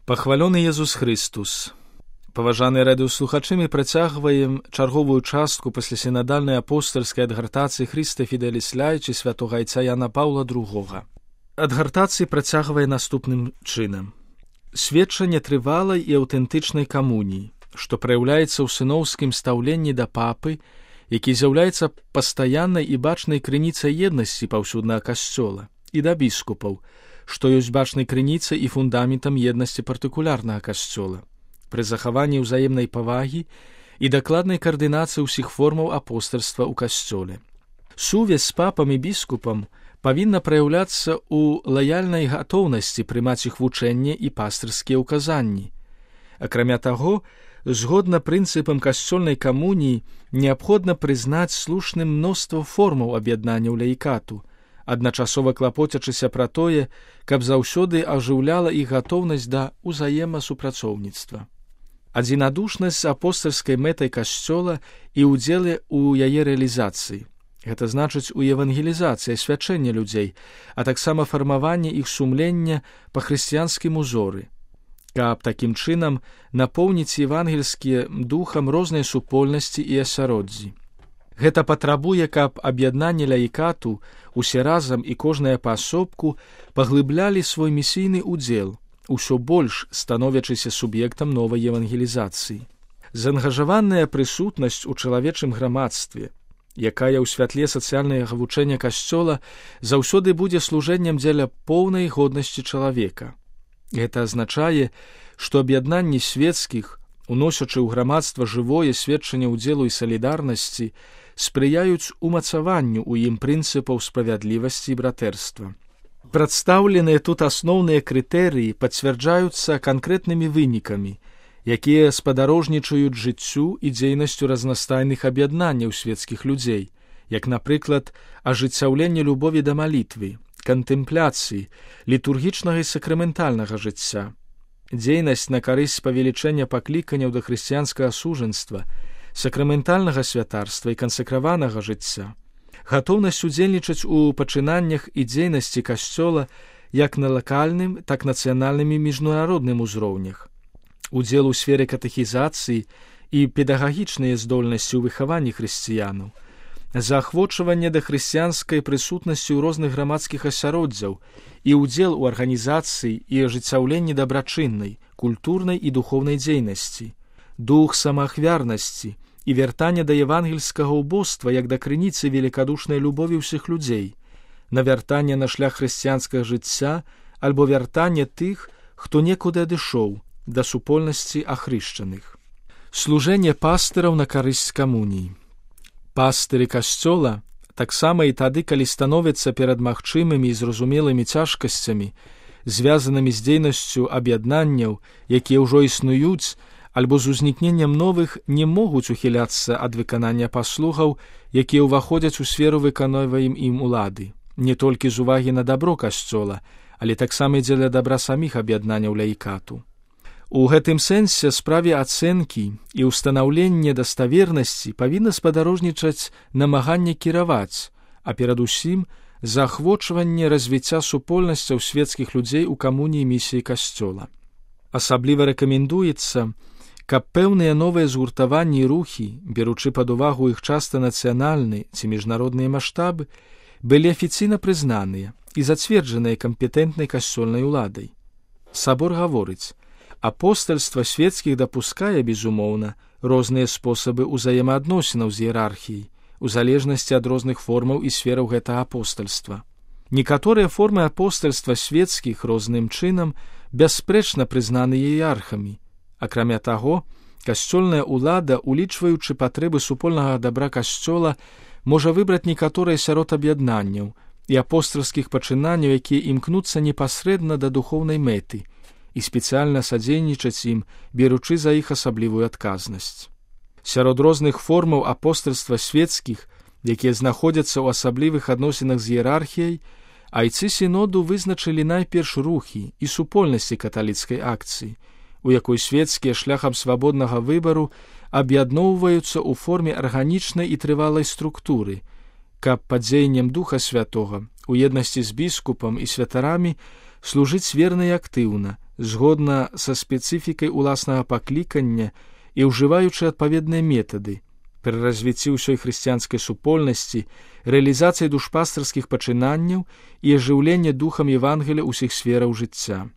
Пахвалёны Езус Христус. Паважаныя радыёслухачы, мы працягваем чарговую частку паслясінадальнай апостальскай адгартацыі Христа Фіделіс Лайчы святога айца Яна Паўла II. Адгартацыі працягвае наступным чынам. Сведчанне трывалай і аўтэнтычнай камуніі, што праяўляецца ў сыноўскім стаўленні да папы, які з'яўляецца пастаяннай і бачнай крыніцай еднасці паўсюднага касцёла, і да біскупаў, што ёсць бачнай крыніцай і фундаментам еднасці партыкулярнага касцёла, пры захаванні ўзаемнай павагі і дакладнай каардынацыі ўсіх формаў апостальства ў касцёле. Сувязь з папам і біскупам павінна праяўляцца ў лаяльнай гатоўнасці прымаць іх вучэнне і пастырскія ўказанні. Акрамя таго, згодна прынцыпам касцёльнай камуніі, неабходна прызнаць слушным мноства формаў аб'яднання ў лаікату, адначасова клапоцячыся пра тое, каб заўсёды ажыўляла іх гатоўнасць да ўзаемасупрацоўніцтва. Адзінадушнасць з апостальскай мэтай касцёла і ўдзеле ў яе рэалізацыі. Гэта значыць у евангелізацыі, асвячэння людзей, а таксама фармаванне іх сумлення па хрысціянскім узоры, каб такім чынам напоўніць евангельскія духам рознай супольнасці і асяроддзі. Гэта патрабуе, каб аб'яднанне лаікату усе разам і кожная паасобку паглыблялі свой місійны ўдзел, усё больш становячыся суб'ектам новай евангелізацыі. Заангажаваная прысутнасць у чалавечым грамадстве, якая ў святле сацыяльнага вучэння касцёла заўсёды будзе служэннем дзеля поўнай годнасці чалавека. Гэта азначае, што аб'яднанні свецкіх, уносячы ў грамадства жывое сведчанне ўдзелу і салідарнасці, спрыяюць умацаванню ў ім прынцыпаў справядлівасці і братэрства. Прадстаўленыя тут асноўныя крытэрыі пацвярджаюцца канкрэтнымі вынікамі, якія спадарожнічаюць жыццю і дзейнасцю разнастайных аб'яднанняў свецкіх людзей, як, напрыклад, ажыццяўленне любові да малітвы, кантэмпляцыі, літургічнага і сакраментальнага жыцця, дзейнасць на карысць павелічэння пакліканняў да хрысціянскага сужанства, сакраментальнага святарства і кансакраванага жыцця, гатоўнасць удзельнічаць у пачынаннях і дзейнасці касцёла як на лакальным, так нацыянальным і міжнародным узроўнях, удзел у сферы катэхізацыі і педагагічныя здольнасці ў выхаванні хрысціянаў, заахвочванне да хрысціянскай прысутнасці ў розных грамадскіх асяроддзяў і ўдзел у арганізацыі і ажыццяўленні дабрачыннай, культурнай і духоўнай дзейнасці, дух самаахвярнасці і вяртанне да евангельскага ўбоства як да крыніцы велікадушнай любові ўсіх людзей, навяртанне на шлях хрысціянскага жыцця альбо вяртанне тых, хто некуды адышоў, да супольнасці ахрышчаных. Служэнне пастыраў на карысць камуніі. Пастыры касцёла таксама і тады, калі становяцца перад магчымымі і зразумелымі цяжкасцямі, звязанымі з дзейнасцю аб'яднанняў, якія ўжо існуюць, альбо з узнікненнем новых, не могуць ухіляцца ад выканання паслугаў, якія ўваходзяць у сферу выконваем ім улады, не толькі з увагі на дабро касцёла, але таксама і дзеля дабра саміх аб'яднанняў лаікату. У гэтым сэнсе справе ацэнкі і ўстанаўлення даставернасці павінна спадарожнічаць намаганне кіраваць, а перадусім заахвочванне развіцця супольнасцяў свецкіх людзей у камуніі місіі касцёла. Асабліва рэкамендуецца, каб пэўныя новыя згуртаванні і рухі, беручы пад увагу іх часта нацыянальны ці міжнародныя маштабы, былі афіцыйна прызнаныя і зацверджаныя кампетэнтнай касцёльнай уладай. Сабор гаворыць, апостальства свецкіх дапускае, безумоўна, розныя спосабы ўзаемаадносінаў з іерархіяй, у залежнасці ад розных формаў і сфераў гэтага апостальства. Некаторыя формы апостальства свецкіх розным чынам бясспрэчна прызнаны іерархамі. Акрамя таго, касцёльная ўлада, улічваючы патрэбы супольнага дабра касцёла, можа выбраць некаторыя сярод аб'яднанняў і апостальскіх пачынанняў, якія імкнуцца непасрэдна да духоўнай мэты, і спецыяльна садзейнічаць ім, беручы за іх асаблівую адказнасць. Сярод розных формаў апостальства свецкіх, якія знаходзяцца ў асаблівых адносінах з іерархіяй, айцы сіноду вызначылі найперш рухі і супольнасці каталіцкай акцыі, у якой свецкія шляхам свабоднага выбару аб'ядноўваюцца ў форме арганічнай і трывалай структуры, каб пад дзеяннем Духа Святога у еднасці з біскупам і святарамі служыць верна і актыўна, згодна са спецыфікай уласнага паклікання і ўжываючы адпаведныя метады пры развіцці ўсёй хрысціянскай супольнасці, рэалізацыі душпастарскіх пачынанняў і ажыўлення духам Евангелія ўсіх сфераў жыцця.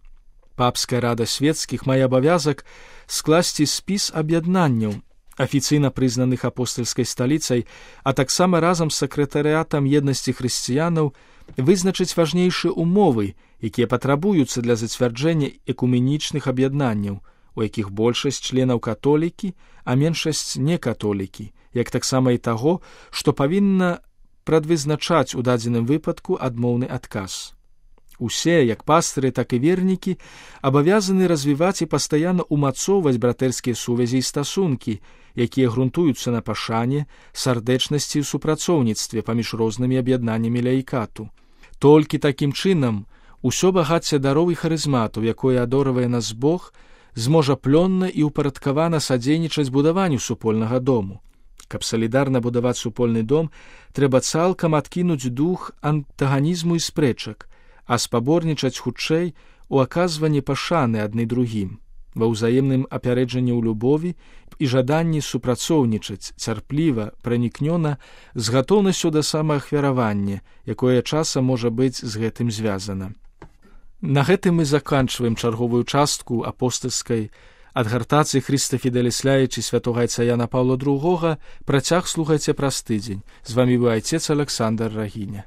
Папская рада свецкіх мае абавязак скласці спіс аб'яднанняў, афіцыйна прызнаных апостальскай сталіцай, а таксама разам з сакратарыятам еднасці хрысціянаў вызначыць важнейшыя умовы, якія патрабуюцца для зацвярджэння экуменічных аб'яднанняў, у якіх большасць членаў католікі, а меншасць некатолікі, як таксама і таго, што павінна прадвызначаць у дадзеным выпадку адмоўны адказ. Усе, як пастыры, так і вернікі, абавязаны развіваць і пастаянна умацоўваць братэрскія сувязі і стасункі, якія грунтуюцца на пашане, сардэчнасці і супрацоўніцтве паміж рознымі аб'яднаннямі лаікату. Толькі такім чынам усё багацце дароў і харызматаў, якое адорвае нас Бог, зможа плённа і ўпарадкавана садзейнічаць будаванню супольнага дому. Каб салідарна будаваць супольны дом, трэба цалкам адкінуць дух антаганізму і спрэчак, а спаборнічаць хутчэй у аказванні пашаны адны другім, ва ўзаемным апярэджанні ў любові і жаданні супрацоўнічаць цярпліва, пранікнёна, з гатоўнасцю да самаахвяравання, якое часам можа быць з гэтым звязана. На гэтым мы заканчваем чарговую частку апостальскай адгартацыі Хрыста Фіделісляючы святога айца Яна Паўла II. Працяг слухайце праз тыдзень. З вамі быў айцец Александр Рагіня.